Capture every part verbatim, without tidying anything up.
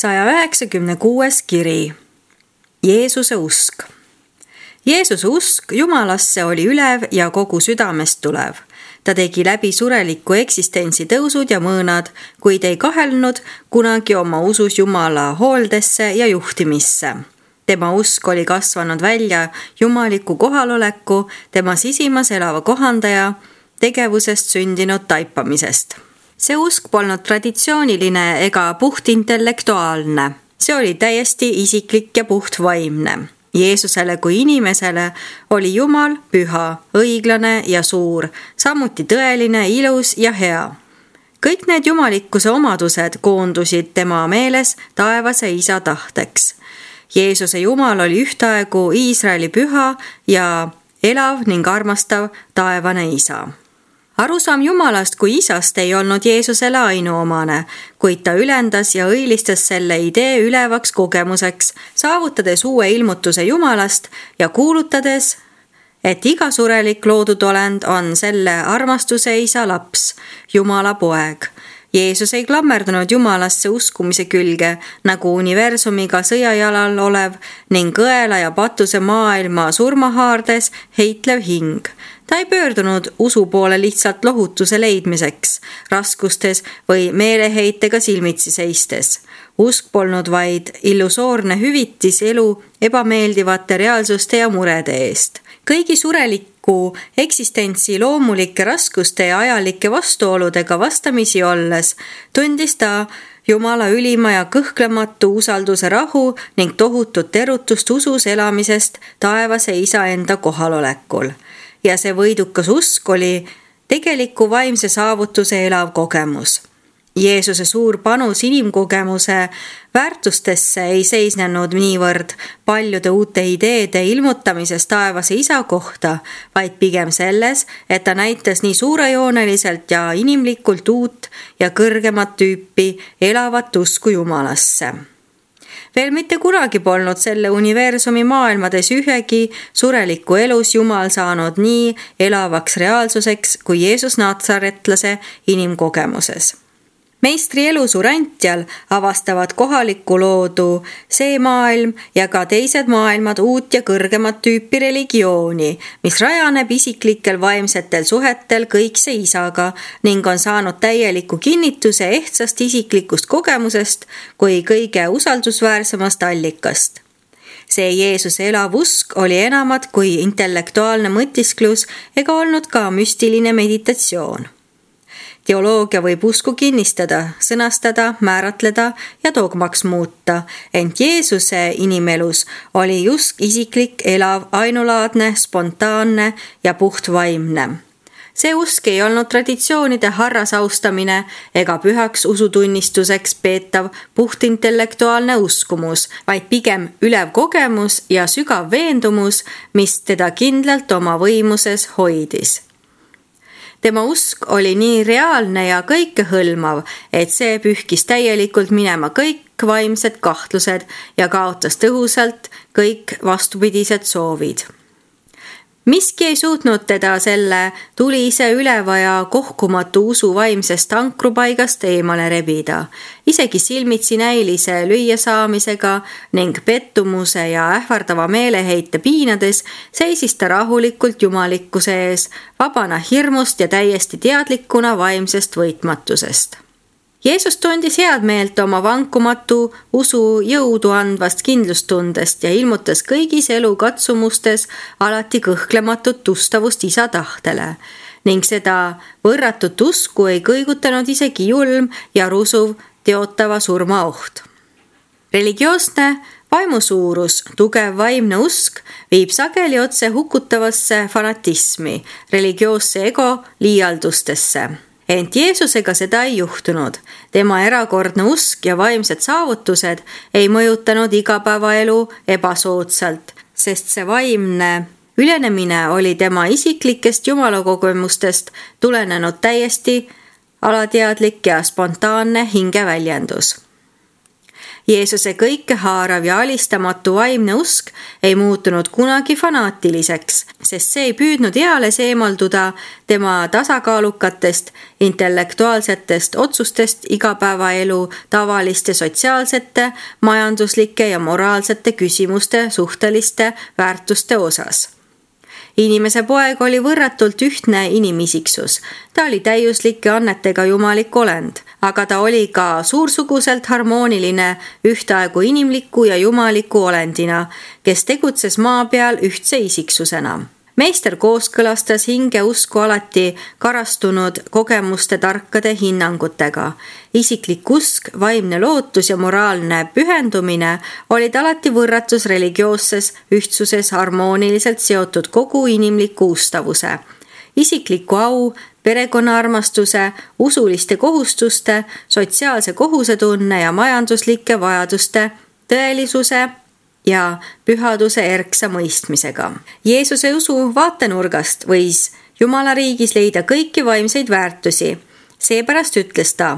saja üheksakümne kuues kiri. Jeesuse usk. Jeesuse usk Jumalasse oli ülev ja kogu südamest tulev. Ta tegi läbi sureliku eksistentsi tõusud ja mõõnad, kuid ei kahelnud kunagi oma usus Jumala hooldesse ja juhtimisse. Tema usk oli kasvanud välja jumaliku kohaloleku, tema sisimas elava kohandaja, tegevusest sündinud taipamisest. See usk polnud traditsiooniline ega puhtintellektuaalne. See oli täiesti isiklik ja puhtvaimne. Jeesusele kui inimesele oli Jumal püha, õiglane ja suur, samuti tõeline, ilus ja hea. Kõik need jumalikkuse omadused koondusid tema meeles taevase isa tahteks. Jeesuse Jumal oli ühtaegu Iisraeli püha ja elav ning armastav taevane isa. Arusaam Jumalast kui isast ei olnud Jeesusele ainuomane, kuid ta ülendas ja õilistas selle idee ülevaks kogemuseks, saavutades uue ilmutuse Jumalast ja kuulutades, et iga surelik loodud olend on selle armastuse isa laps, Jumala poeg. Jeesus ei klammerdunud Jumalasse uskumise külge, nagu universumiga sõjajalal olev ning õela ja patuse maailma surmahaardes heitlev hing. Ta ei pöördunud usu poole lihtsalt lohutuse leidmiseks, raskustes või meeleheitega silmitsi seistes. Usk polnud vaid illusoorne hüvitis elu ebameeldivate reaalsuste ja murede eest. Kõigi sureliku eksistentsi loomulike raskuste ja ajalike vastuoludega vastamisi olles, tundis ta Jumala ülima ja kõhklematu usalduse rahu ning tohutut erutust usus elamisest taevase isa enda kohalolekul. Ja see võidukas usk oli tegeliku vaimse saavutuse elav kogemus. Jeesuse suur panus inimkogemuse väärtustesse ei seisnenud niivõrd paljude uute ideede ilmutamises taevase isa kohta, vaid pigem selles, et ta näitas nii suurejooneliselt ja inimlikult uut ja kõrgemat tüüpi elavat usku Jumalasse. Veel mitte kunagi polnud selle universumi maailmades ühegi sureliku elus Jumal saanud nii elavaks reaalsuseks kui Jeesus Natsaretlase inimkogemuses. Meistri elusurantjal avastavad kohaliku loodu see maailm ja ka teised maailmad uut ja kõrgemat tüüpi religiooni, mis rajaneb isiklikel vaimsetel suhetel kõikse isaga ning on saanud täieliku kinnituse ehtsast isiklikust kogemusest kui kõige usaldusväärsemast allikast. See Jeesuse elav usk oli enamat kui intellektuaalne mõtisklus ega olnud ka müstiline meditatsioon. Teoloogia võib usku kinnistada, sõnastada, määratleda ja dogmaks muuta, ent Jeesuse inimelus oli just isiklik, elav, ainulaadne, spontaanne ja puhtvaimne. See usk ei olnud traditsioonide harrasaustamine ega pühaks usutunnistuseks peetav puhtintellektuaalne uskumus, vaid pigem ülev kogemus ja sügav veendumus, mis teda kindlalt oma võimuses hoidis. Tema usk oli nii reaalne ja kõikehõlmav, et see pühkis täielikult minema kõik vaimsed kahtlused ja kaotas tõhusalt kõik vastupidised soovid. Miski ei suutnud teda selle tulise üleva ja kohkumatu usu vaimsest ankrupaigast eemale rebida. Isegi silmitsi näilise lüüasaamisega ning pettumuse ja ähvardava meeleheite piinades seisis ta rahulikult jumalikkuse ees, vabana hirmust ja täiesti teadlikuna vaimsest võitmatusest. Jeesus tundis head meelt oma vankumatu usu jõudu andvast kindlustundest ja ilmutas kõigis elu katsumustes alati kõhklematut ustavust isa tahtele ning seda võrratut usku ei kõigutanud isegi julm ja rusuv teotava surma oht. Religioosne vaimusuurus, tugev vaimne usk viib sageli otse hukutavasse fanatismi, religioosse ego liialdustesse. Ent Jeesusega seda ei juhtunud. Tema erakordne usk ja vaimsed saavutused ei mõjutanud igapäevaelu ebasoodsalt, sest see vaimne ülenemine oli tema isiklikest jumalakogemustest tulenenud täiesti alateadlik ja spontaanne hingeväljendus. Jeesuse kõikehaarav ja alistamatu vaimne usk ei muutunud kunagi fanaatiliseks, sest see ei püüdnud eales eemalduda tema tasakaalukatest intellektuaalsetest otsustest igapäevaelu tavaliste sotsiaalsete, majanduslike ja moraalsete küsimuste suhteliste väärtuste osas. Inimese poeg oli võrratult ühtne inimisiksus. Ta oli täiuslike annetega jumalik olend, aga ta oli ka suursuguselt harmooniline ühtaegu inimliku ja jumaliku olendina, kes tegutses maa peal ühtse isiksusena. Meister kooskõlastas hinge usku alati karastunud kogemuste tarkade hinnangutega. Isiklik usk, vaimne lootus ja moraalne pühendumine olid alati võrratus religioosses ühtsuses harmooniliselt seotud kogu inimliku ustavuse. Isikliku au, perekonnaarmastuse, usuliste kohustuste, sotsiaalse kohusetunne ja majanduslike vajaduste tõelisuse ja pühaduse erksa mõistmisega. Jeesuse usu vaatenurgast võis Jumala riigis leida kõiki vaimseid väärtusi. Seepärast ütles ta,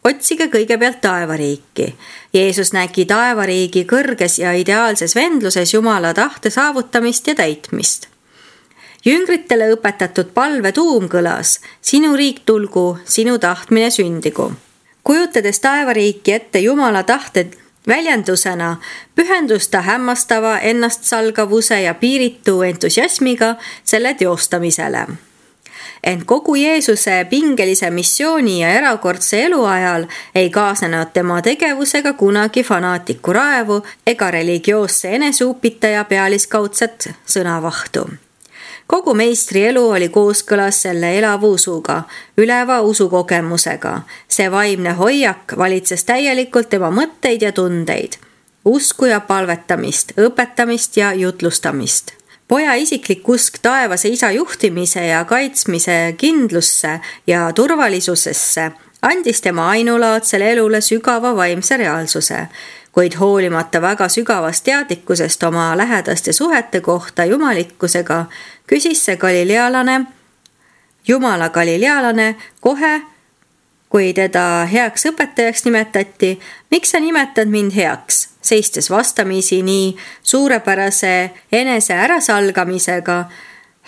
otsige kõigepealt taevariiki. Jeesus nägi taevariigi kõrges ja ideaalses vendluses Jumala tahte saavutamist ja täitmist. Jüngritele õpetatud palve tuum kõlas, sinu riik tulgu, sinu tahtmine sündigu. Kujutades taevariiki ette Jumala tahte väljendusena pühendus ta hämmastava ennastsalgavuse ja piiritu entusiasmiga selle teostamisele. Ent kogu Jeesuse pingelise missiooni ja erakordse elu ajal ei kaasnenud tema tegevusega kunagi fanaatiku raevu ega religioosse eneseupitaja pealiskaudset sõnavahtu. Kogu meistri elu oli kooskõlas selle elava usuga, üleva usukogemusega. See vaimne hoiak valitses täielikult tema mõtteid ja tundeid, usku ja palvetamist, õpetamist ja jutlustamist. Poja isiklik usk taevase isa juhtimise ja kaitsmise kindlusse ja turvalisusesse andis tema ainulaadsele elule sügava vaimse reaalsuse. Kuid hoolimata väga sügavast teadlikkusest oma lähedaste suhete kohta jumalikkusega, küsis see galilealane, Jumala galilealane kohe, kui teda heaks õpetajaks nimetati, miks sa nimetad mind heaks, seistes vastamisi nii suurepärase enese ärasalgamisega,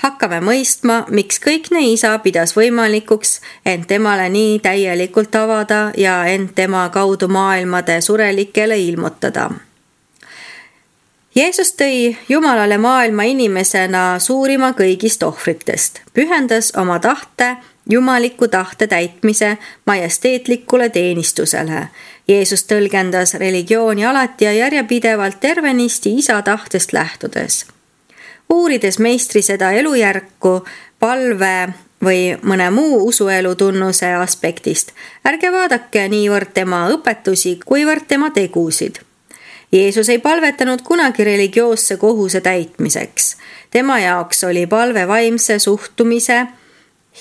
hakkame mõistma, miks kõikne isa pidas võimalikuks end temale nii täielikult avada ja end tema kaudu maailmade surelikele ilmutada. Jeesus tõi Jumalale maailma inimesena suurima kõigist ohvritest, pühendas oma tahte jumaliku tahte täitmise majesteetlikule teenistusele. Jeesus tõlgendas religiooni alati ja järjepidevalt tervenisti isa tahtest lähtudes. Uurides meistri seda elujärku palve või mõne muu usuelu tunnuse aspektist, ärge vaadake niivõrd tema õpetusi, kuivõrd tema tegusid. Jeesus ei palvetanud kunagi religioosse kohuse täitmiseks. Tema jaoks oli palve vaimse suhtumise,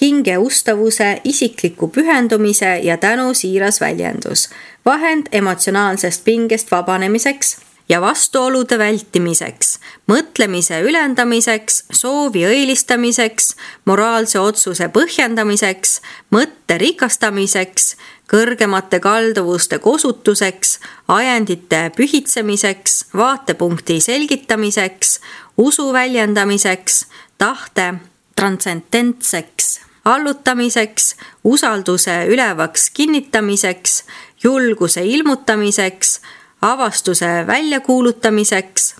hinge ustavuse, isikliku pühendumise ja tänu siiras väljendus, vahend emotsionaalsest pingest vabanemiseks ja vastuolude vältimiseks, mõtlemise ülendamiseks, soovi õilistamiseks, moraalse otsuse põhjendamiseks, mõtte rikastamiseks, kõrgemate kalduvuste kosutuseks, ajendite pühitsemiseks, vaatepunkti selgitamiseks, usu väljendamiseks, tahte transcendentseks allutamiseks, usalduse ülevaks kinnitamiseks, julguse ilmutamiseks, avastuse väljakuulutamiseks,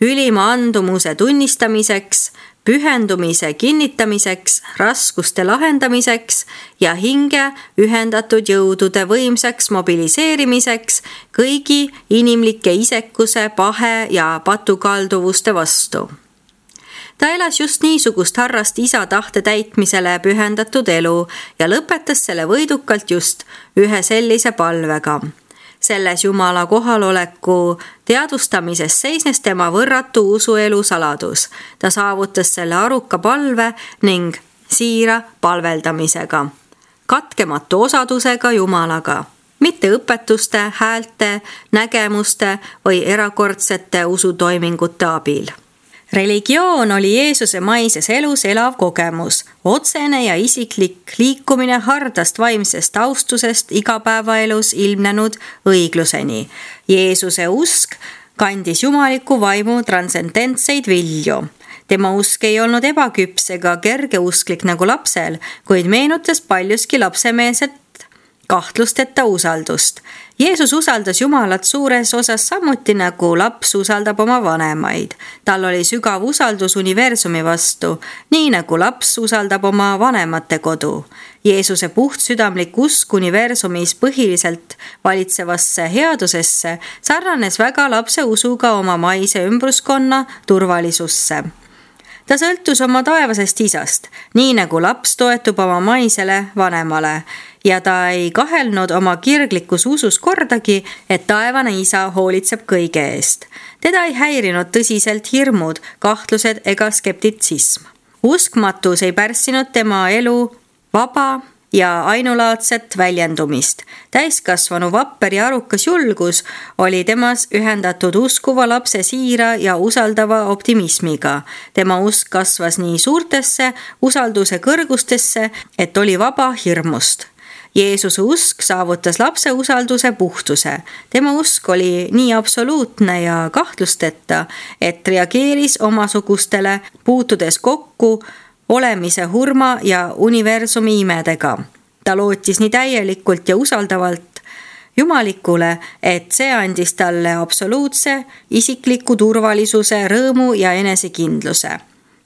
ülima andumuse tunnistamiseks, pühendumise kinnitamiseks, raskuste lahendamiseks ja hinge ühendatud jõudude võimsaks mobiliseerimiseks kõigi inimlike isekuse, pahe ja patukalduvuste vastu. Ta elas just niisugust harrast isa tahte täitmisele pühendatud elu ja lõpetas selle võidukalt just ühe sellise palvega. Selles Jumala kohaloleku teadvustamises seisnes tema võrratu usuelu saladus. Ta saavutas selle aruka palve ning siira palveldamisega, katkematu osadusega Jumalaga, mitte õpetuste, häälte, nägemuste või erakordsete usutoimingute abil. Religioon oli Jeesuse maises elus elav kogemus, otsene ja isiklik liikumine hardast vaimsest austusest igapäevaelus ilmnenud õigluseni. Jeesuse usk kandis jumaliku vaimu transcendentseid vilju. Tema usk ei olnud ebaküps ega kergeusklik nagu lapsel, kuid meenutas paljuski lapsemeelset kahtlusteta usaldust. Jeesus usaldas Jumalat suures osas samuti nagu laps usaldab oma vanemaid. Tal oli sügav usaldus universumi vastu, nii nagu laps usaldab oma vanemate kodu. Jeesuse puhtsüdamlik usk universumis põhiliselt valitsevasse headusesse sarnanes väga lapse usuga oma maise ümbruskonna turvalisusse. Ta sõltus oma taevasest isast, nii nagu laps toetub oma maisele vanemale, ja ta ei kahelnud oma kirglikus usus kordagi, et taevane isa hoolitseb kõige eest. Teda ei häirinud tõsiselt hirmud, kahtlused ega skeptitsism. Uskmatus ei pärssinud tema elu vaba ja ainulaadset väljendumist. Täiskasvanu vapper ja arukas julgus oli temas ühendatud uskuva lapse siira ja usaldava optimismiga. Tema usk kasvas nii suurtesse usalduse kõrgustesse, et oli vaba hirmust. Jeesuse usk saavutas lapse usalduse puhtuse. Tema usk oli nii absoluutne ja kahtlusteta, et reageeris omasugustele, puutudes kokku olemise hurma ja universumi imedega. Ta lootis nii täielikult ja usaldavalt Jumalikule, et see andis talle absoluutse, isikliku turvalisuse, rõõmu ja enesekindluse.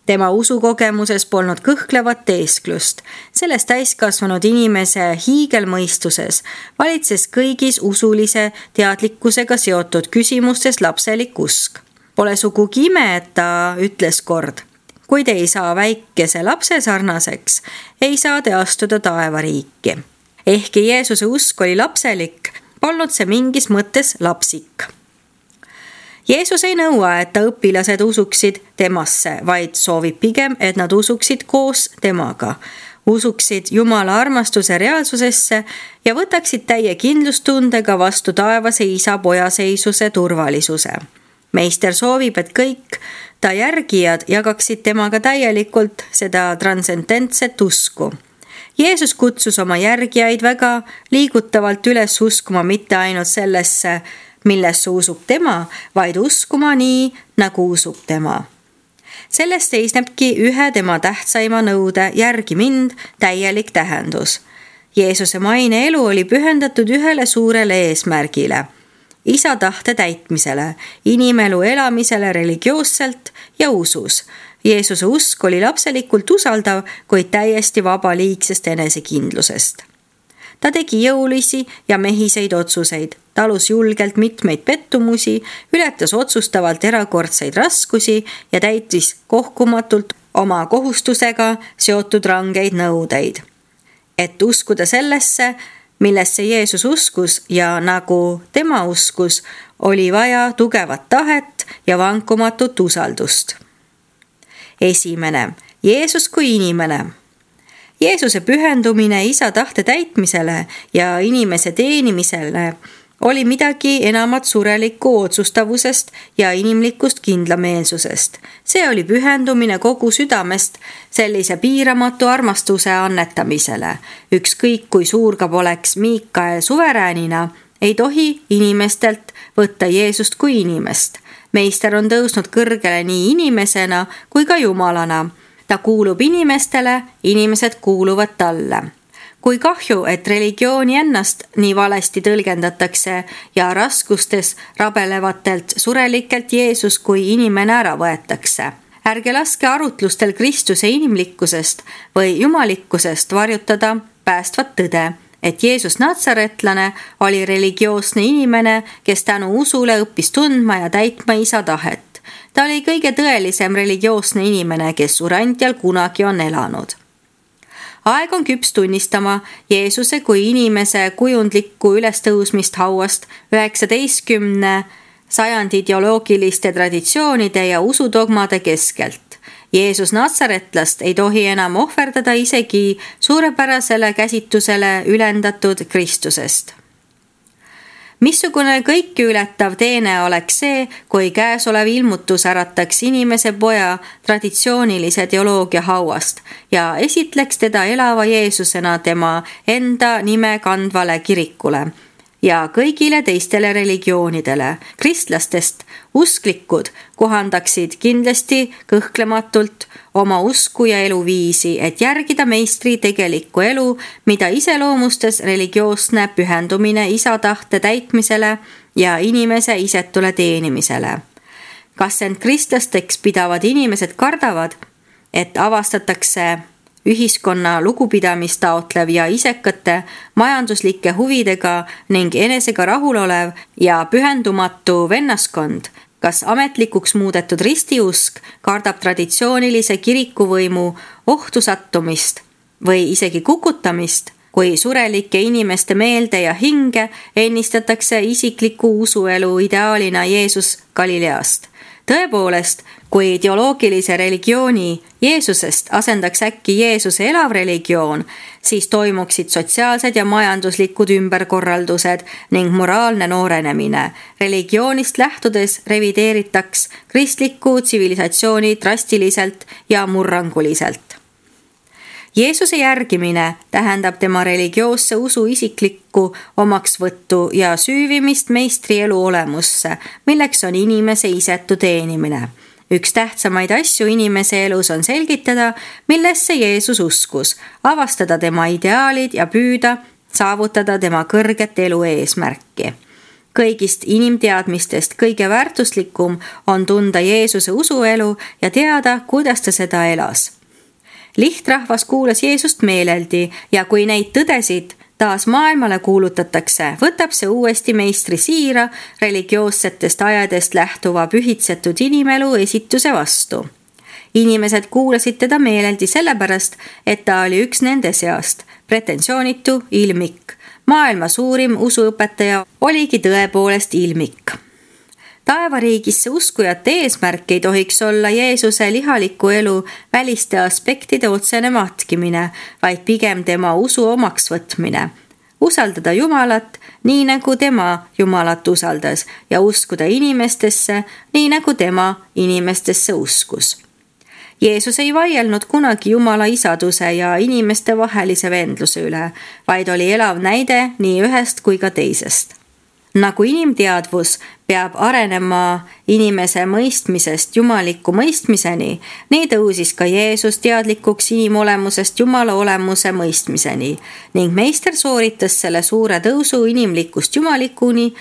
Tema usukogemuses polnud kõhklevat teesklust. Selles täiskasvanud inimese hiigelmõistuses valitses kõigis usulise teadlikkusega seotud küsimustes lapselik usk. Pole sugugi ime, et ta ütles kord: kui te ei saa väikese lapse sarnaseks, ei saa te astuda taevariiki. Ehkki Jeesuse usk oli lapselik, polnud see mingis mõttes lapsik. Jeesus ei nõua, et ta õpilased usuksid temasse, vaid soovib pigem, et nad usuksid koos temaga. Usuksid Jumala armastuse reaalsusesse ja võtaksid täie kindlustundega vastu taevase isa pojaseisuse turvalisuse. Meister soovib, et kõik ta järgijad jagaksid temaga täielikult seda transcendentset usku. Jeesus kutsus oma järgijaid väga liigutavalt üles uskuma mitte ainult sellesse, millesse usub tema, vaid uskuma nii, nagu usub tema. Sellest seisnebki ühe tema tähtsaima nõude järgi mind täielik tähendus. Jeesuse maine elu oli pühendatud ühele suurele eesmärgile – isa tahte täitmisele, inimelu elamisele religioosselt ja usus. Jeesuse usk oli lapselikult usaldav, kuid täiesti vaba liigsest enesekindlusest. Ta tegi jõulisi ja mehiseid otsuseid, talus julgelt mitmeid pettumusi, ületas otsustavalt erakordseid raskusi ja täitis kohkumatult oma kohustusega seotud rangeid nõudeid. Et uskuda sellesse, millesse Jeesus uskus ja nagu tema uskus, oli vaja tugevat tahet ja vankumatut usaldust. Esimene, Jeesus kui inimene. Jeesuse pühendumine isa tahte täitmisele ja inimese teenimisele oli midagi enamat surelikku otsustavusest ja inimlikust kindlameelsusest. See oli pühendumine kogu südamest sellise piiramatu armastuse annetamisele. Ükskõik kui suur ka poleks Miikael suveräänina, ei tohi inimestelt võtta Jeesust kui inimest. Meister on tõusnud kõrgele nii inimesena kui ka jumalana. Ta kuulub inimestele, inimesed kuuluvad talle. Kui kahju, et religiooni ennast nii valesti tõlgendatakse ja raskustes rabelevatelt surelikelt Jeesus kui inimene ära võetakse. Ärge laske arutlustel Kristuse inimlikkusest või jumalikkusest varjutada päästvat tõde, et Jeesus natsaretlane oli religioosne inimene, kes tänu usule õppis tundma ja täitma isa tahet. Ta oli kõige tõelisem religioosne inimene, kes surantjal kunagi on elanud. Aeg on küps tunnistama Jeesuse kui inimese kujundlikku ülestõusmist hauast üheksateistkümne sajandi ideoloogiliste traditsioonide ja usudogmade keskelt. Jeesus natsaretlast ei tohi enam ohverdada isegi suurepärasele käsitusele ülendatud Kristusest. Missugune kõiki ületav teene oleks see, kui käesolev ilmutus ärataks inimese poja traditsioonilise teoloogia hauast ja esitleks teda elava Jeesusena tema enda nime kandvale kirikule ja kõigile teistele religioonidele. Kristlastest usklikud kohandaksid kindlasti kõhklematult oma usku ja eluviisi, et järgida meistri tegelikku elu, mida iseloomustas religioosne pühendumine isa tahte täitmisele ja inimese isetule teenimisele. Kas end kristlasteks pidavad inimesed kardavad, et avastatakse ühiskonna lugupidamist taotlev ja isekate majanduslike huvidega ning enesega rahulolev ja pühendumatu vennaskond? Kas ametlikuks muudetud ristiusk kardab traditsioonilise kirikuvõimu ohtu sattumist või isegi kukutamist, kui surelike inimeste meelde ja hinge ennistatakse isikliku usuelu ideaalina Jeesus Galileast? Tõepoolest, kui ideoloogilise religiooni Jeesusest asendaks äkki Jeesuse elav religioon, siis toimuksid sotsiaalsed ja majanduslikud ümberkorraldused ning moraalne noorenemine. Religioonist lähtudes revideeritaks kristlikku tsivilisatsiooni drastiliselt ja murranguliselt. Jeesuse järgimine tähendab tema religioosse usu isiklikku omaksvõttu ja süüvimist meistri elu olemusse, milleks on inimese isetu teenimine. Üks tähtsamaid asju inimese elus on selgitada, millesse Jeesus uskus, avastada tema ideaalid ja püüda saavutada tema kõrget elu eesmärki. Kõigist inimteadmistest kõige väärtuslikum on tunda Jeesuse usuelu ja teada, kuidas ta seda elas. Lihtrahvas kuulas Jeesust meeleldi ja kui neid tõdesid taas maailmale kuulutatakse, võtab see uuesti meistri siira religioossetest ajadest lähtuva pühitsetud inimelu esituse vastu. Inimesed kuulasid teda meeleldi sellepärast, et ta oli üks nende seast, pretensioonitu ilmik. Maailma suurim usuõpetaja oligi tõepoolest ilmik. Taevariigisse uskujate eesmärk ei tohiks olla Jeesuse lihaliku elu väliste aspektide otsene matkimine, vaid pigem tema usu omaks võtmine. Usaldada Jumalat nii nagu tema Jumalat usaldas ja uskuda inimestesse nii nagu tema inimestesse uskus. Jeesus ei vaielnud kunagi Jumala isaduse ja inimeste vahelise vendluse üle, vaid oli elav näide nii ühest kui ka teisest. Nagu inimteadvus peab arenema inimese mõistmisest jumaliku mõistmiseni, nii tõusis ka Jeesus teadlikuks inimolemusest Jumala olemuse mõistmiseni ning meister sooritas selle suure tõusu inimlikust jumalikuni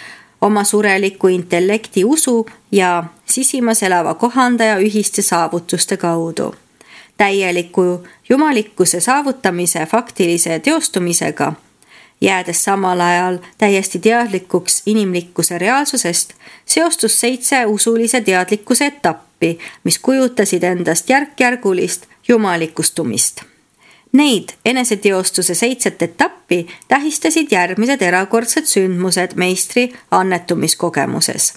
oma sureliku intellekti usu ja sisimas elava kohandaja ühiste saavutuste kaudu. Täieliku jumalikkuse saavutamise faktilise teostumisega jäädes samal ajal täiesti teadlikuks inimlikkuse reaalsusest, seostus seitse usulise teadlikkuse etappi, mis kujutasid endast järk-järgulist jumalikustumist. Neid eneseteostuse seitset etappi tähistasid järgmised erakordsed sündmused meistri annetumiskogemuses.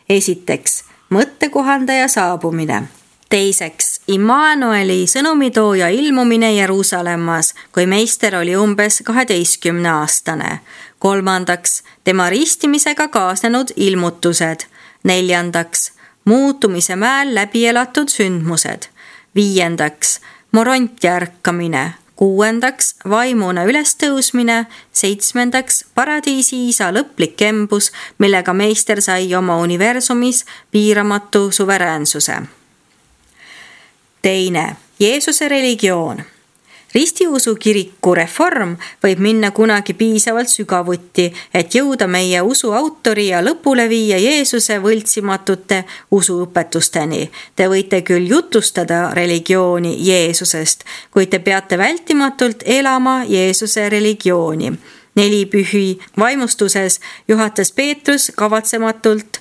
Esiteks, mõttekohandaja saabumine. Teiseks, Immanueli sõnumitooja ilmumine Jeruusalemmas, kui meister oli umbes kaheteistkümne aastane. Kolmandaks, tema ristimisega kaasnenud ilmutused. Neljandaks, muutumise mäel läbi elatud sündmused. Viiendaks, moronti ärkamine. Kuuendaks, vaimuna ülestõusmine. Seitsmendaks, paradiisi isa lõplik embus, millega meister sai oma universumis piiramatu suveräänsuse. Teine, Jeesuse religioon. Ristiusu kiriku reform võib minna kunagi piisavalt sügavuti, et jõuda meie usu autori ja lõpule viia Jeesuse võltsimatute usuõpetusteni. Te võite küll jutustada religiooni Jeesusest, kuid te peate vältimatult elama Jeesuse religiooni. Neli pühi vaimustuses juhatas Peetrus kavatsematult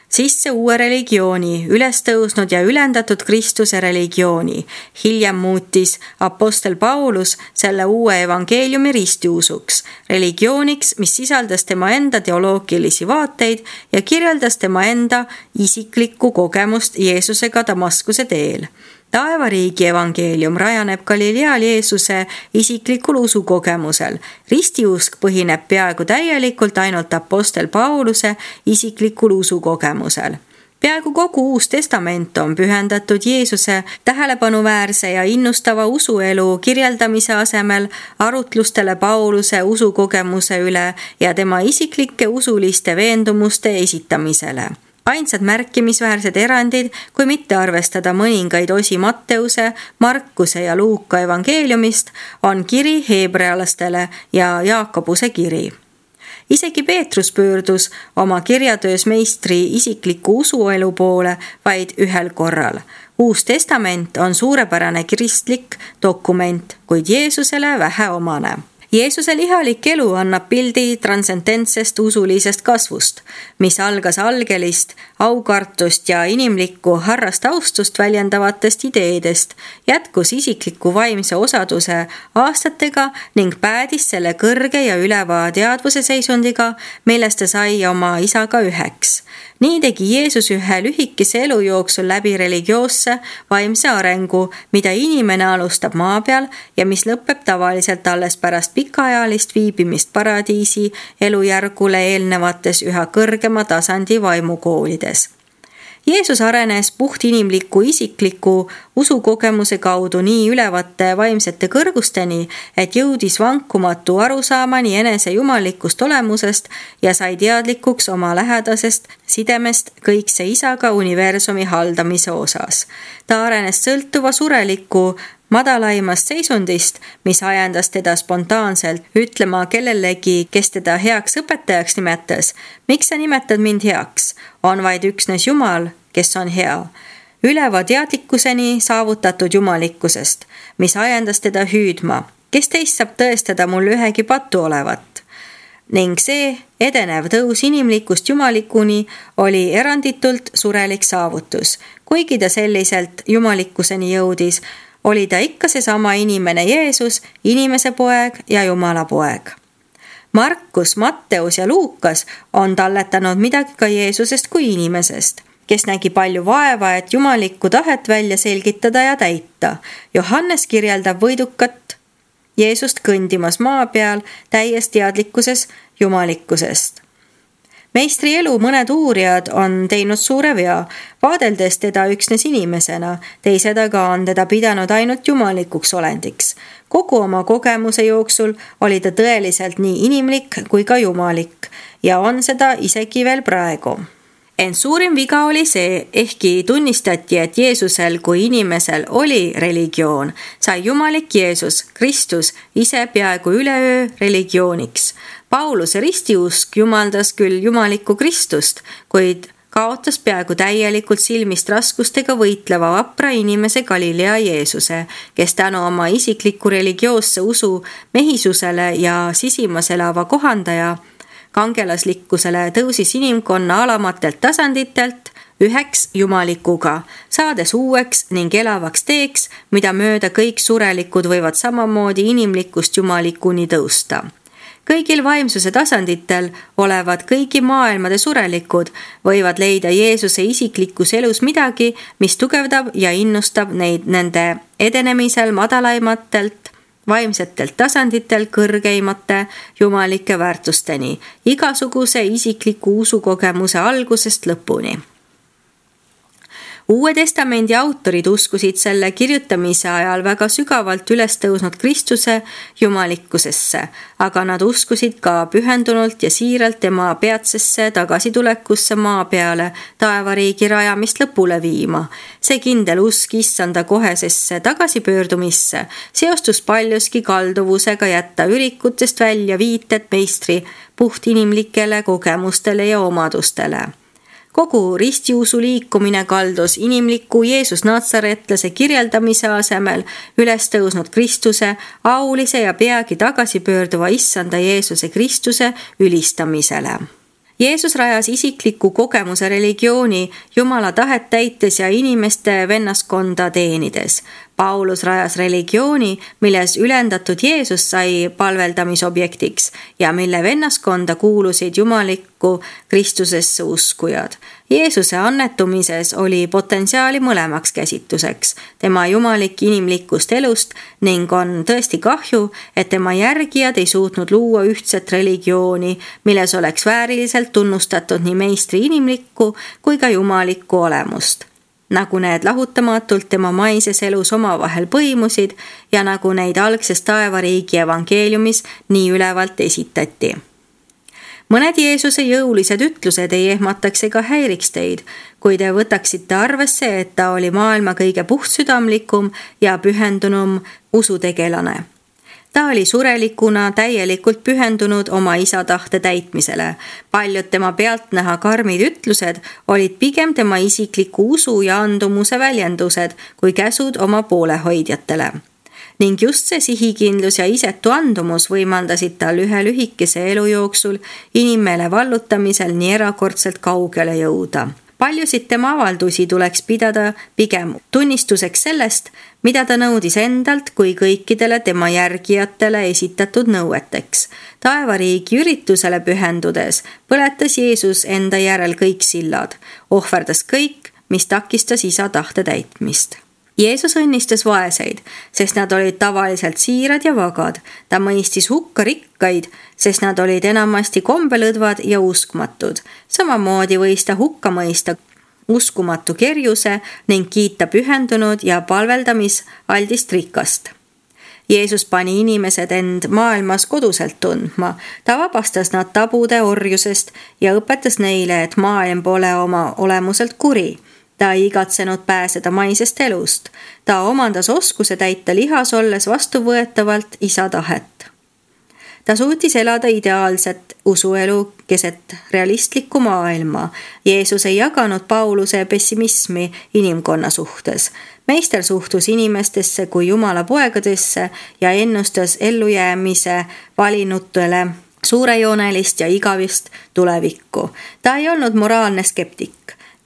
sisse uue religiooni, ülestõusnud ja ülendatud Kristuse religiooni. Hiljem muutis apostel Paulus selle uue evangeeliumi ristiusuks, religiooniks, mis sisaldas tema enda teoloogilisi vaateid ja kirjeldas tema enda isiklikku kogemust Jeesusega Damaskuse teel. taevariigi evangeelium rajaneb Galileal Jeesuse isiklikul usukogemusel. Ristiusk põhineb peaaegu täielikult ainult apostel Pauluse isiklikul usukogemusel. Peaaegu kogu Uus Testament on pühendatud Jeesuse tähelepanuväärse ja innustava usuelu kirjeldamise asemel arutlustele Pauluse usukogemuse üle ja tema isiklike usuliste veendumuste esitamisele. Ainsad märkimisväärsed erandid, kui mitte arvestada mõningaid osi Matteuse, Markuse ja Luuka evangeeliumist, on kiri heebrealastele ja Jaakobuse kiri. Isegi Peetrus pöördus oma kirjatöös meistri isikliku usuelu poole vaid ühel korral. Uus Testament on suurepärane kristlik dokument, kuid Jeesusele vähe omane. Jeesuse lihalik elu annab pildi transcendentsest usulisest kasvust, mis algas algelist, aukartust ja inimlikku harrast austust väljendavatest ideedest, jätkus isikliku vaimse osaduse aastatega ning päädis selle kõrge ja üleva teadvuse seisundiga, millest ta sai oma isaga üheks. Nii tegi Jeesus ühe lühikese elu jooksul läbi religioosse vaimse arengu, mida inimene alustab maa peal ja mis lõpeb tavaliselt alles pärast pikaajalist viibimist paradiisi elujärgule eelnevates üha kõrgema tasandi vaimukoolides. Jeesus arenes puhtinimliku isikliku usukogemuse kaudu nii ülevate vaimsete kõrgusteni, et jõudis vankumatu arusaamani enese jumalikust olemusest ja sai teadlikuks oma lähedasest sidemest kõikse isaga universumi haldamise osas. Ta arenes sõltuva sureliku madalaimast seisundist, mis ajendas teda spontaanselt ütlema kellelegi, kes teda heaks õpetajaks nimetas. Miks sa nimetad mind heaks? On vaid üksnes Jumal, kes on hea. Üleva teadlikkuseni saavutatud jumalikkusest, mis ajendas teda hüüdma. Kes teist saab tõestada mul ühegi patu olevat? Ning see edenev tõus inimlikust jumalikuni oli eranditult surelik saavutus. Kuigi ta selliselt jumalikkuseni jõudis, oli ta ikka seesama inimene Jeesus, inimese poeg ja Jumala poeg. Markus, Matteus ja Luukas on talletanud midagi ka Jeesusest kui inimesest, kes nägi palju vaeva, et jumalikku tahet välja selgitada ja täita. Johannes kirjeldab võidukat Jeesust kõndimas maa peal täies teadlikkuses jumalikkusest. Meistri elu mõned uurijad on teinud suure vea, vaadeldes teda üksnes inimesena, teised aga on teda pidanud ainult jumalikuks olendiks. Kogu oma kogemuse jooksul oli ta tõeliselt nii inimlik kui ka jumalik ja on seda isegi veel praegu. Ent suurim viga oli see, ehkki tunnistati, et Jeesusel kui inimesel oli religioon, sai jumalik Jeesus, Kristus, ise peaaegu üleöö religiooniks. Pauluse ristiusk jumaldas küll jumalikku Kristust, kuid kaotas peaaegu täielikult silmist raskustega võitleva vapra inimese Galilea Jeesuse, kes tänu oma isikliku religioosse usu mehisusele ja sisimas elava kohandaja kangelaslikkusele tõusis inimkonna alamatelt tasanditelt üheks jumalikuga, saades uueks ning elavaks teeks, mida mööda kõik surelikud võivad samamoodi inimlikust jumalikuni tõusta. Kõigil vaimsuse tasanditel olevad kõigi maailmade surelikud võivad leida Jeesuse isiklikus elus midagi, mis tugevdab ja innustab neid nende edenemisel madalaimatelt vaimsetelt tasanditel kõrgeimate jumalike väärtusteni, igasuguse isikliku usukogemuse algusest lõpuni. Uue testamendi autorid uskusid selle kirjutamise ajal väga sügavalt üles tõusnud Kristuse jumalikkusesse, aga nad uskusid ka pühendunult ja siiralt tema peatsesse tagasitulekusse maa peale taevariigi rajamist lõpule viima. See kindel usk issanda kohesesse tagasipöördumisse seostus paljuski kalduvusega jätta ürikutest välja viited meistri puhtinimlikele kogemustele ja omadustele. Kogu ristiusu liikumine kaldus inimliku Jeesus Natsaretlase kirjeldamise asemel üles tõusnud Kristuse, aulise ja peagi tagasipöörduva issanda Jeesuse Kristuse ülistamisele. Jeesus rajas isikliku kogemuse religiooni Jumala tahet täites ja inimeste vennaskonda teenides. Paulus rajas religiooni, milles ülendatud Jeesus sai palveldamisobjektiks ja mille vennaskonda kuulusid jumalikku Kristusesse uskujad. Jeesuse annetumises oli potentsiaali mõlemaks käsitluseks, tema jumalik inimlikust elust ning on tõesti kahju, et tema järgijad ei suutnud luua ühtset religiooni, milles oleks vääriliselt tunnustatud nii meistri inimlikku kui ka jumalikku olemust. Nagu need lahutamatult tema maises elus omavahel põimusid ja nagu neid algses taevariigi evangeeliumis nii ülevalt esitati. Mõned Jeesuse jõulised ütlused ei ehmataks ega häiriks teid, kui te võtaksite arvesse, et ta oli maailma kõige puhtsüdamlikum ja pühendunum usutegelane. Ta oli surelikuna täielikult pühendunud oma isa tahte täitmisele. Paljud tema pealtnäha karmid ütlused olid pigem tema isikliku usu ja andumuse väljendused kui käsud oma poolehoidjatele. Ning just see sihikindlus ja isetu andumus võimaldasid tal ühe lühikese elu jooksul inimmeele vallutamisel nii erakordselt kaugele jõuda. Paljusid tema avaldusi tuleks pidada pigem tunnistuseks sellest, mida ta nõudis endalt kui kõikidele tema järgijatele esitatud nõueteks. Taevariigi üritusele pühendudes põletas Jeesus enda järel kõik sillad, ohverdas kõik, mis takistas isa tahte täitmist. Jeesus õnnistas vaeseid, sest nad olid tavaliselt siirad ja vagad. Ta mõistis hukka rikkaid, sest nad olid enamasti kombelõdvad ja uskmatud. Samamoodi võis ta hukka mõista uskumatu kerjuse ning kiita pühendunud ja palveldamisaldist rikast. Jeesus pani inimesed end maailmas koduselt tundma. Ta vabastas nad tabude orjusest ja õpetas neile, et maailm pole oma olemuselt kuri. Ta ei igatsenud pääseda maisest elust. Ta omandas oskuse täita lihas olles vastuvõetavalt isa tahet. Ta suutis elada ideaalset usuelu keset realistlikku maailma. Jeesus ei jaganud Pauluse pessimismi inimkonna suhtes. Meister suhtus inimestesse kui Jumala poegadesse ja ennustas ellujäämise valinutele suurejoonelist ja igavist tulevikku. Ta ei olnud moraalne skeptik.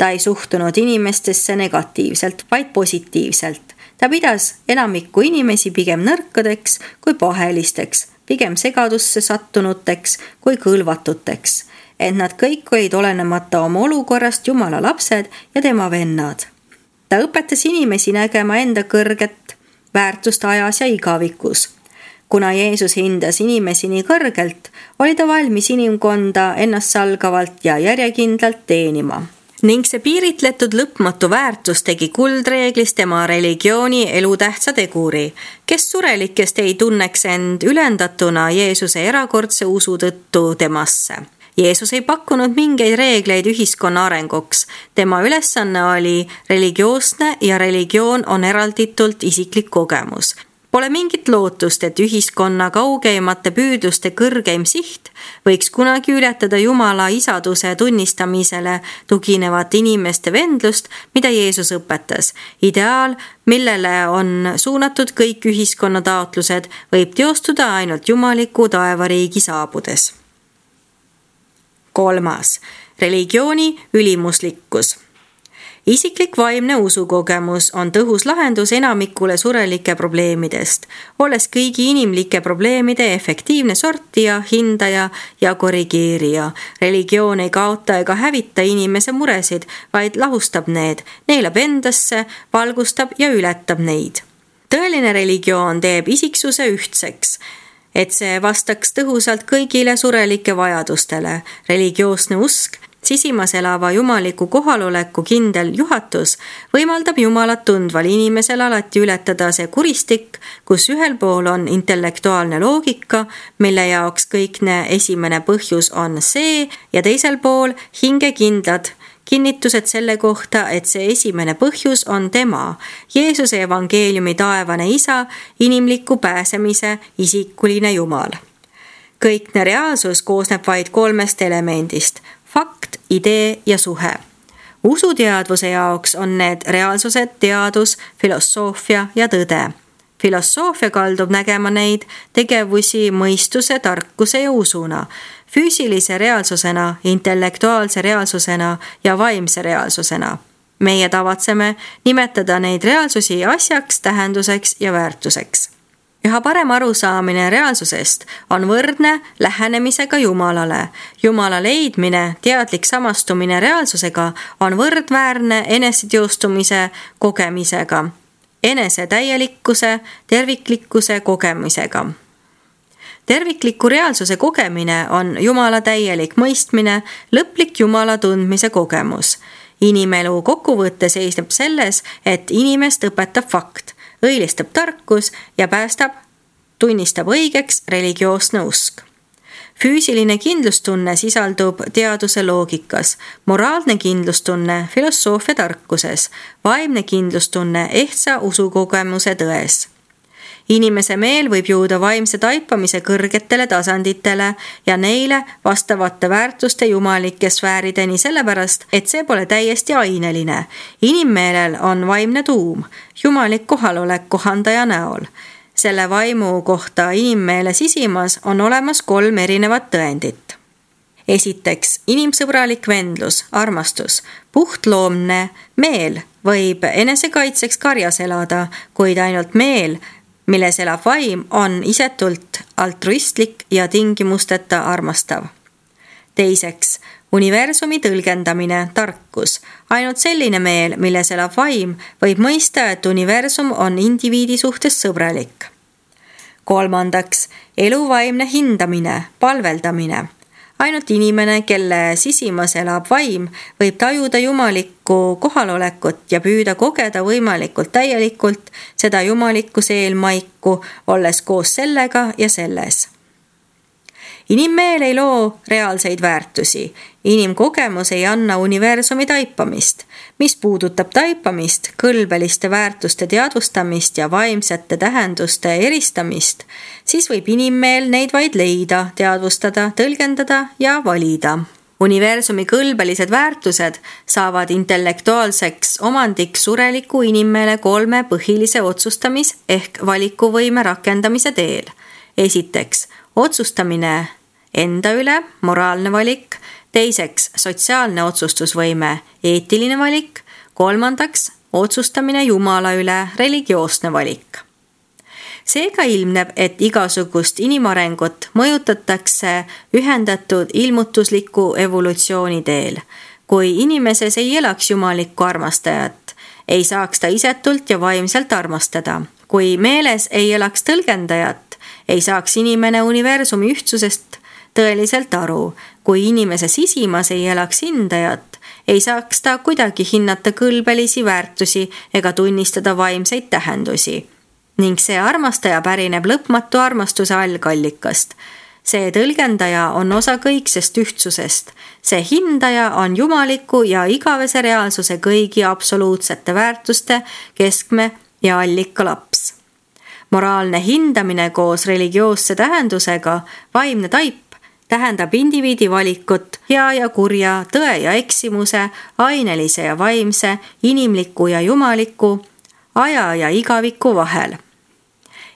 Ta ei suhtunud inimestesse negatiivselt, vaid positiivselt. Ta pidas enamikku inimesi pigem nõrkadeks kui pahelisteks, pigem segadusse sattunuteks kui kõlvatuteks, et nad kõik olid olenemata oma olukorrast Jumala lapsed ja tema vennad. Ta õpetas inimesi nägema enda kõrget väärtust ajas ja igavikus. Kuna Jeesus hindas inimesi nii kõrgelt, oli ta valmis inimkonda ennastsalgavalt ja järjekindlalt teenima. Ning see piiritletud lõpmatu väärtus tegi kuldreeglis tema religiooni elutähtsa teguri, kes surelikest ei tunneks end ülendatuna Jeesuse erakordse usu tõttu temasse. Jeesus ei pakkunud mingeid reegleid ühiskonna arenguks. Tema ülesanne oli religioosne ja religioon on eralditult isiklik kogemus. Pole mingit lootust, et ühiskonna kaugeimate püüdluste kõrgeim siht võiks kunagi ületada Jumala isaduse tunnistamisele tuginevat inimeste vendlust, mida Jeesus õpetas. Ideaal, millele on suunatud kõik ühiskonna taotlused, võib teostuda ainult jumaliku taevariigi saabudes. Kolmas. Religiooni ülimuslikkus. Isiklik vaimne usukogemus on tõhus lahendus enamikule surelike probleemidest, olles kõigi inimlike probleemide efektiivne sortija, hindaja ja korrigeerija. Religioon ei kaota ega hävita inimese muresid, vaid lahustab need, neelab endasse, valgustab ja ületab neid. Tõeline religioon teeb isiksuse ühtseks, et see vastaks tõhusalt kõigile surelike vajadustele. Religioosne usk, sisimas elava jumaliku kohaloleku kindel juhatus võimaldab Jumalat tundval inimesel alati ületada see kuristik, kus ühel pool on intellektuaalne loogika, mille jaoks kõikne esimene põhjus on see, ja teisel pool hingekindlad kinnitused selle kohta, et see esimene põhjus on tema, Jeesuse evangeeliumi taevane isa, inimliku pääsemise isikuline Jumal. Kõikne reaalsus koosneb vaid kolmest elemendist: fakt, idee ja suhe. Usuteadvuse jaoks on need reaalsused teadus, filosoofia ja tõde. Filosoofia kaldub nägema neid tegevusi mõistuse, tarkuse ja usuna, füüsilise reaalsusena, intellektuaalse reaalsusena ja vaimse reaalsusena. meie tavatseme nimetada neid reaalsusi asjaks, tähenduseks ja väärtuseks. Üha parem arusaamine reaalsusest on võrdne lähenemisega Jumalale. Jumala leidmine, teadlik samastumine reaalsusega on võrdväärne eneseteostumise kogemisega, enese täielikkuse, terviklikkuse kogemisega. Tervikliku reaalsuse kogemine on Jumala täielik mõistmine, lõplik Jumala tundmise kogemus. Inimelu kokkuvõtte seisneb selles, et inimest õpetab fakt, õilistab tarkus ja päästab, tunnistab õigeks religioosne usk. Füüsiline kindlustunne sisaldub teaduse loogikas, moraalne kindlustunne filosoofia tarkuses, vaimne kindlustunne ehtsa usukogemuse tões. Inimese meel võib jõuda vaimse taipamise kõrgetele tasanditele ja neile vastavate väärtuste jumalike sfäärideni sellepärast, et see pole täiesti aineline. Inimmeelel on vaimne tuum, jumalik kohalolek kohandaja näol. Selle vaimu kohta inimmeele sisimas on olemas kolm erinevat tõendit. Esiteks, inimsõbralik vendlus, armastus, puhtloomne meel võib enesekaitseks karjas elada, kuid ainult meel, milles elab vaim, on isetult altruistlik ja tingimusteta armastav. Teiseks, universumi tõlgendamine, tarkus. Ainult selline meel, milles elab vaim, võib mõista, et universum on indiviidi suhtes sõbralik. Kolmandaks, eluvaimne hindamine, palveldamine. Ainult inimene, kelle sisimas elab vaim, võib tajuda jumalikku kohalolekut ja püüda kogeda võimalikult täielikult seda jumalikku seelmaiku, olles koos sellega ja selles. Inimmeel ei loo reaalseid väärtusi. Inimkogemus ei anna universumi taipamist. Mis puudutab taipamist, kõlbeliste väärtuste teadvustamist ja vaimsete tähenduste eristamist, siis võib inimmeel neid vaid leida, teadvustada, tõlgendada ja valida. Universumi kõlbelised väärtused saavad intellektuaalseks omandiks sureliku inimmeele kolme põhilise otsustamis- ehk valikuvõime rakendamise teel. Esiteks, otsustamine enda üle, moraalne valik, teiseks, sotsiaalne otsustusvõime, eetiline valik, kolmandaks, otsustamine Jumala üle, religioosne valik. Seega ilmneb, et igasugust inimarengut mõjutatakse ühendatud ilmutusliku evolutsiooni teel. Kui inimeses ei elaks jumalikku armastajat, ei saaks ta isetult ja vaimselt armastada. Kui meeles ei elaks tõlgendajat, ei saaks inimene universumi ühtsusest tõeliselt aru. Kui inimese sisimas ei elaks hindajat, ei saaks ta kuidagi hinnata kõlbelisi väärtusi ega tunnistada vaimseid tähendusi. Ning see armastaja pärineb lõpmatu armastuse algallikast. See tõlgendaja on osa kõiksest ühtsusest. See hindaja on jumaliku ja igavese reaalsuse kõigi absoluutsete väärtuste keskme ja allika laps. Moraalne hindamine koos religioosse tähendusega, vaimne taip, tähendab indiviidi valikut hea ja kurja, tõe ja eksimuse, ainelise ja vaimse, inimliku ja jumaliku, aja ja igaviku vahel.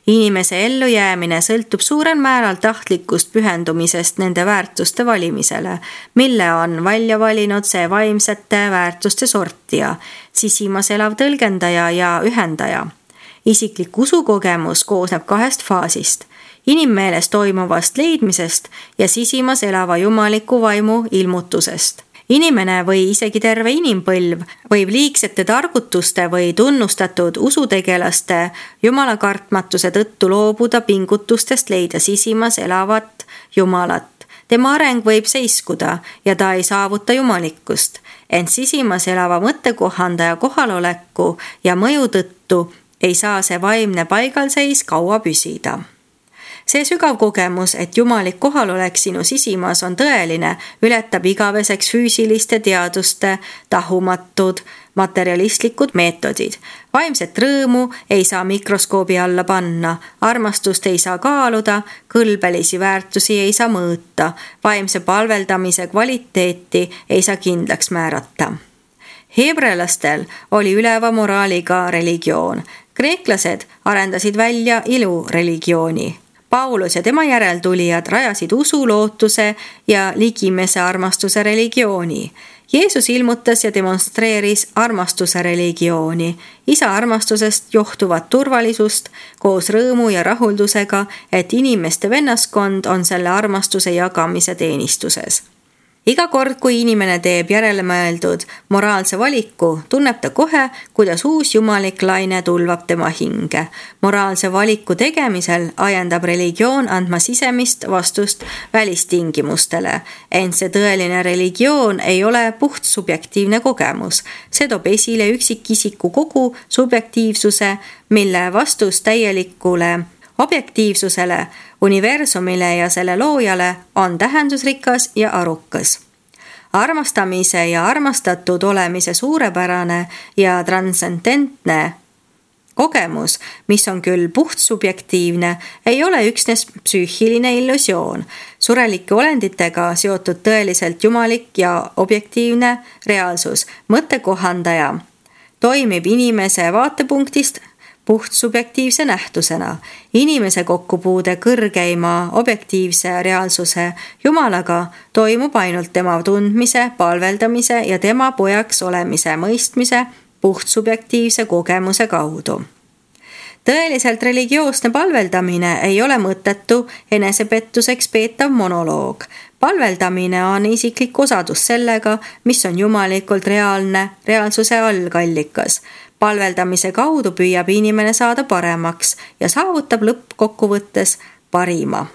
Inimese ellujäämine sõltub suurel määral tahtlikust pühendumisest nende väärtuste valimisele, mille on välja valinud see vaimsete väärtuste sortija, sisimas elav tõlgendaja ja ühendaja. Isiklik usukogemus koosneb kahest faasist, inimmeeles toimuvast leidmisest ja sisimas elava jumaliku vaimu ilmutusest. Inimene või isegi terve inimpõlv võib liigsete targutuste või tunnustatud usutegelaste jumalakartmatuse tõttu loobuda pingutustest leida sisimas elavat jumalat. Tema areng võib seiskuda ja ta ei saavuta jumalikkust, ent sisimas elava mõttekohandaja kohaloleku ja mõju tõttu ei saa see vaimne paigalseis kaua püsida. See sügav kogemus, et jumalik kohalolek sinu sisimas on tõeline, ületab igaveseks füüsiliste teaduste tahumatud materialistlikud meetodid. Vaimset rõõmu ei saa mikroskoobi alla panna, armastust ei saa kaaluda, kõlbelisi väärtusi ei saa mõõta, vaimse palveldamise kvaliteeti ei saa kindlaks määrata. Heebrelastel oli üleva moraaliga religioon. Kreeklased arendasid välja ilureligiooni. Paulus ja tema järeltulijad rajasid usu, lootuse ja ligimese armastuse religiooni. Jeesus ilmutas ja demonstreeris armastuse religiooni, isa armastusest johtuvat turvalisust koos rõõmu ja rahuldusega, et inimeste vennaskond on selle armastuse jagamise teenistuses. Iga kord, kui inimene teeb järelemõeldud moraalse valiku, tunneb ta kohe, kuidas uus jumalik laine tulvab tema hinge. Moraalse valiku tegemisel ajendab religioon andma sisemist vastust välistingimustele. Ent see tõeline religioon ei ole puht subjektiivne kogemus. See toob esile üksikisiku kogu subjektiivsuse, mille vastus täielikule objektiivsusele, universumile ja selle loojale on tähendusrikas ja arukas. Armastamise ja armastatud olemise suurepärane ja transcendentne kogemus, mis on küll puht subjektiivne, ei ole üksnes psüühiline illusioon. Surelike olenditega seotud tõeliselt jumalik ja objektiivne reaalsus, mõttekohandaja, toimib inimese vaatepunktist puht subjektiivse nähtusena. Inimese kokkupuude kõrgeima objektiivse reaalsuse Jumalaga toimub ainult tema tundmise, palveldamise ja tema pojaks olemise mõistmise puht subjektiivse kogemuse kaudu. Tõeliselt religioosne palveldamine ei ole mõttetu enesepettuseks peetav monoloog. Palveldamine on isiklik osadus sellega, mis on jumalikult reaalne reaalsuse algallikas. Palveldamise kaudu püüab inimene saada paremaks ja saavutab lõppkokkuvõttes parima.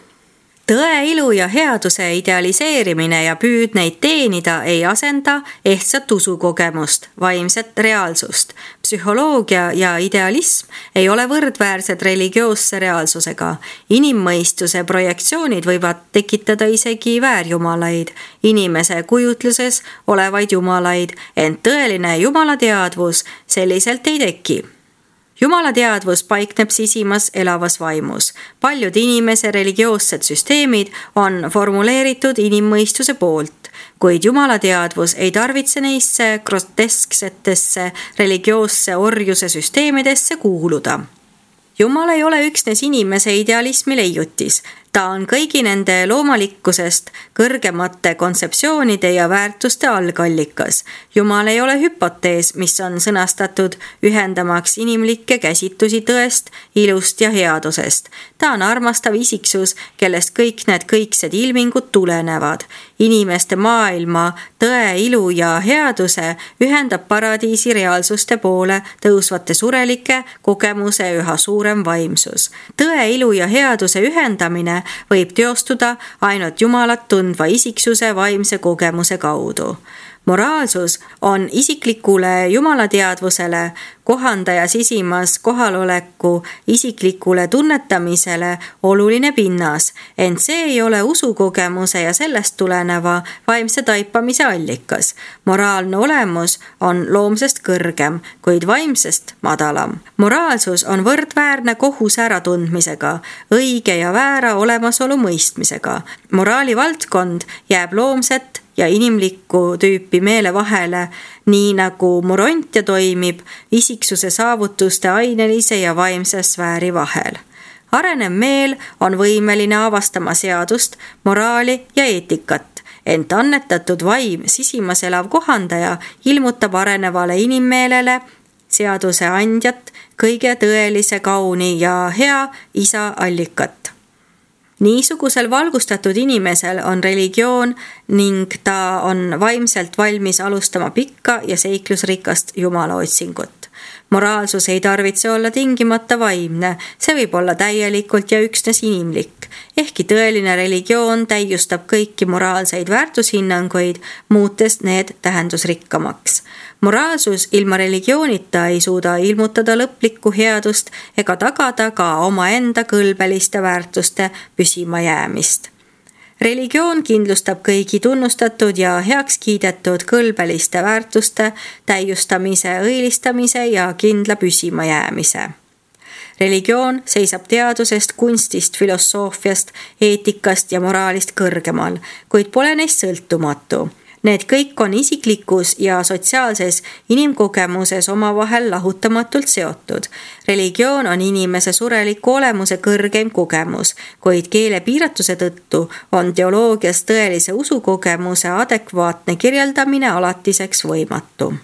Tõe, ilu ja headuse idealiseerimine ja püüd neid teenida ei asenda ehtsat usukogemust, vaimset reaalsust. Psühholoogia ja idealism ei ole võrdväärsed religioosse reaalsusega. Inimmõistuse projektsioonid võivad tekitada isegi väärjumalaid, inimese kujutluses olevaid jumalaid, ent tõeline jumalateadvus selliselt ei teki. Jumala teadvus paikneb sisimas elavas vaimus. Paljud inimese religioossed süsteemid on formuleeritud inimmõistuse poolt, kuid Jumala teadvus ei tarvitse neisse grotesksetesse religioosse orjuse süsteemidesse kuuluda. Jumal ei ole üksnes inimese idealismi leiutis. Ta on kõigi nende loomalikkusest kõrgemate kontseptsioonide ja väärtuste algallikas. Jumal ei ole hüpotees, mis on sõnastatud ühendamaks inimlikke käsitlusi tõest, ilust ja headusest. Ta on armastav isiksus, kellest kõik need kõiksed ilmingud tulenevad. Inimeste maailma, tõe, ilu ja headuse ühendab paradiisi reaalsuste poole tõusvate surelike kogemuse üha suurem vaimsus. Tõe, ilu ja headuse ühendamine võib teostuda ainult Jumalat tundva isiksuse vaimse kogemuse kaudu. Moraalsus on isiklikule jumalateadvusele, kohandaja sisimas kohaloleku isiklikule tunnetamisele oluline pinnas, ent see ei ole usukogemuse ja sellest tuleneva vaimse taipamise allikas. Moraalne olemus on loomsest kõrgem, kuid vaimsest madalam. Moraalsus on võrdväärne kohuse äratundmisega, õige ja väära olemasolu mõistmisega. Moraali valdkond jääb loomset ja inimlikku tüüpi meele vahele, nii nagu morontia toimib isiksuse saavutuste ainelise ja vaimse sfääri vahel. Arenev meel on võimeline avastama seadust, moraali ja eetikat, ent annetatud vaim, sisimas elav kohandaja, ilmutab arenevale inimmeelele seaduse andjat, kõige tõelise kauni ja hea isa allikat. Niisugusel valgustatud inimesel on religioon ning ta on vaimselt valmis alustama pikka ja seiklusrikast Jumala otsingut. Moraalsus ei tarvitse olla tingimata vaimne, see võib olla täielikult ja üksnes inimlik. Ehkki tõeline religioon täiustab kõiki moraalseid väärtushinnanguid, muutes need tähendusrikkamaks. Moraalsus ilma religioonita ei suuda ilmutada lõplikku headust ega tagada ka omaenda kõlbeliste väärtuste püsima jäämist. Religioon kindlustab kõigi tunnustatud ja heaks kiidetud kõlbeliste väärtuste täiustamise, õilistamise ja kindla püsima jäämise. Religioon seisab teadusest, kunstist, filosoofiast, eetikast ja moraalist kõrgemal, kuid pole neist sõltumatu. Need kõik on isiklikus ja sotsiaalses inimkogemuses omavahel lahutamatult seotud. Religioon on inimese sureliku olemuse kõrgeim kogemus, kuid keele piiratuse tõttu on teoloogias tõelise usukogemuse adekvaatne kirjeldamine alatiseks võimatu.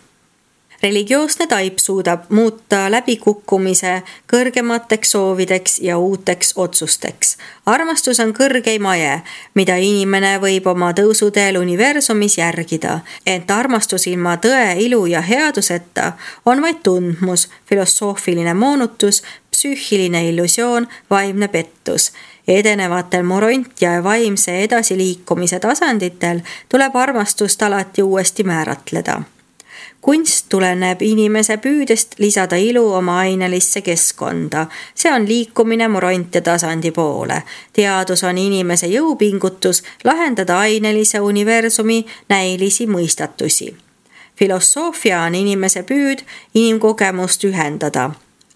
Religioosne taip suudab muuta läbikukkumise kõrgemateks soovideks ja uuteks otsusteks. Armastus on kõrgeim aje, mida inimene võib oma tõusuteel universumis järgida, ent armastus ilma tõe, ilu ja headuseta on vaid tundmus, filosoofiline moonutus, psüühiline illusioon, vaimne pettus. Edenevatel moront- ja vaimse edasiliikumise tasanditel tuleb armastust alati uuesti määratleda. Kunst tuleneb inimese püüdest lisada ilu oma ainelisse keskkonda. See on liikumine morontia tasandi poole. Teadus on inimese jõupingutus lahendada ainelise universumi näilisi mõistatusi. Filosoofia on inimese püüd inimkogemust ühendada.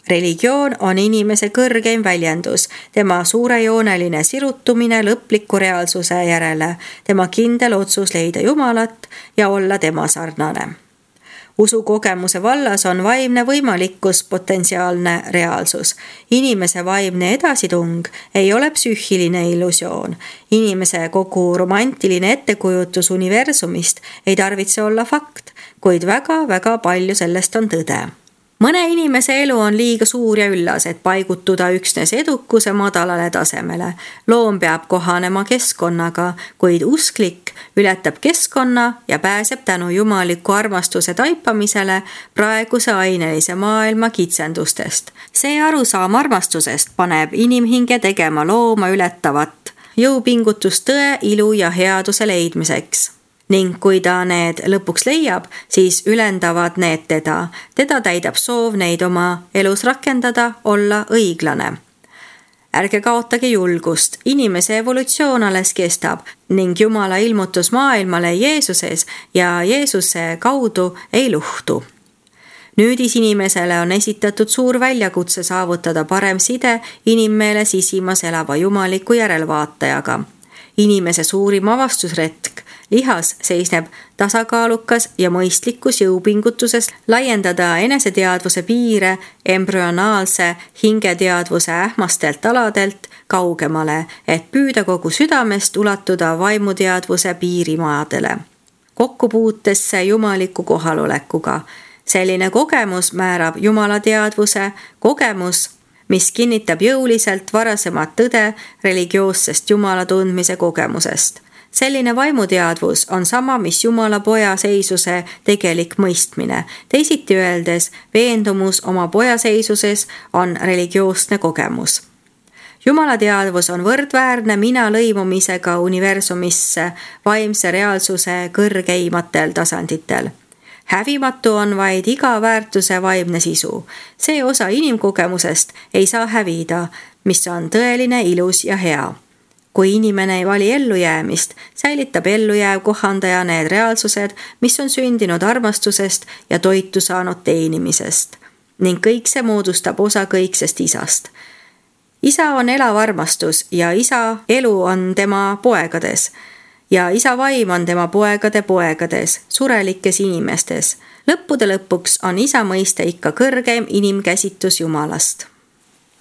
Religioon on inimese kõrgeim väljendus, tema suurejooneline sirutumine lõpliku reaalsuse järele, tema kindel otsus leida Jumalat ja olla tema sarnane. Usukogemuse vallas on vaimne võimalikkus potentsiaalne reaalsus. Inimese vaimne edasitung ei ole psüühiline illusioon. Inimese kogu romantiline ettekujutus universumist ei tarvitse olla fakt, kuid väga-väga palju sellest on tõde. Mõne inimese elu on liiga suur ja üllas, et paigutuda üksnes edukuse madalale tasemele. Loom peab kohanema keskkonnaga, kuid usklik ületab keskkonna ja pääseb tänu jumaliku armastuse taipamisele praeguse ainelise maailma kitsendustest. See arusaam armastusest paneb inimhinge tegema looma ületavat jõupingutust tõe, ilu ja headuse leidmiseks. Ning kui ta need lõpuks leiab, siis ülendavad need teda. Teda täidab soov neid oma elus rakendada, olla õiglane. Ärge kaotage julgust, inimese evolutsioon alles kestab ning Jumala ilmutus maailmale Jeesuses ja Jeesuse kaudu ei luhtu. Nüüdis inimesele on esitatud suur väljakutse saavutada parem side inimmeele sisimas elava jumaliku järelvaatajaga. Inimese suurim avastusretk lihas seisneb tasakaalukas ja mõistlikus jõupingutuses laiendada eneseteadvuse piire embrüonaalse hingeteadvuse ähmastelt aladelt kaugemale, et püüda kogu südamest ulatuda vaimuteadvuse piirimaadele. Kokkupuutesse jumaliku kohalolekuga. Selline kogemus määrab jumalateadvuse, kogemus, mis kinnitab jõuliselt varasemat tõde religioossest jumala tundmise kogemusest. Selline vaimuteadvus on sama, mis Jumala poja seisuse tegelik mõistmine. Teisiti öeldes, veendumus oma poja seisuses on religioosne kogemus. Jumala teadvus on võrdväärne mina lõimumisega universumisse vaimse reaalsuse kõrgeimatel tasanditel. Hävimatu on vaid iga väärtuse vaimne sisu. See osa inimkogemusest ei saa hävida, mis on tõeline, ilus ja hea. Kui inimene ei vali ellujäämist, säilitab ellujääv kohandaja need reaalsused, mis on sündinud armastusest ja toitu saanud teenimisest. Ning kõik see moodustab osa kõiksest isast. Isa on elav armastus ja isa elu on tema poegades. Ja isa vaim on tema poegade poegades, surelikes inimestes. Lõppude lõpuks on isa mõiste ikka kõrgeim inimkäsitus Jumalast.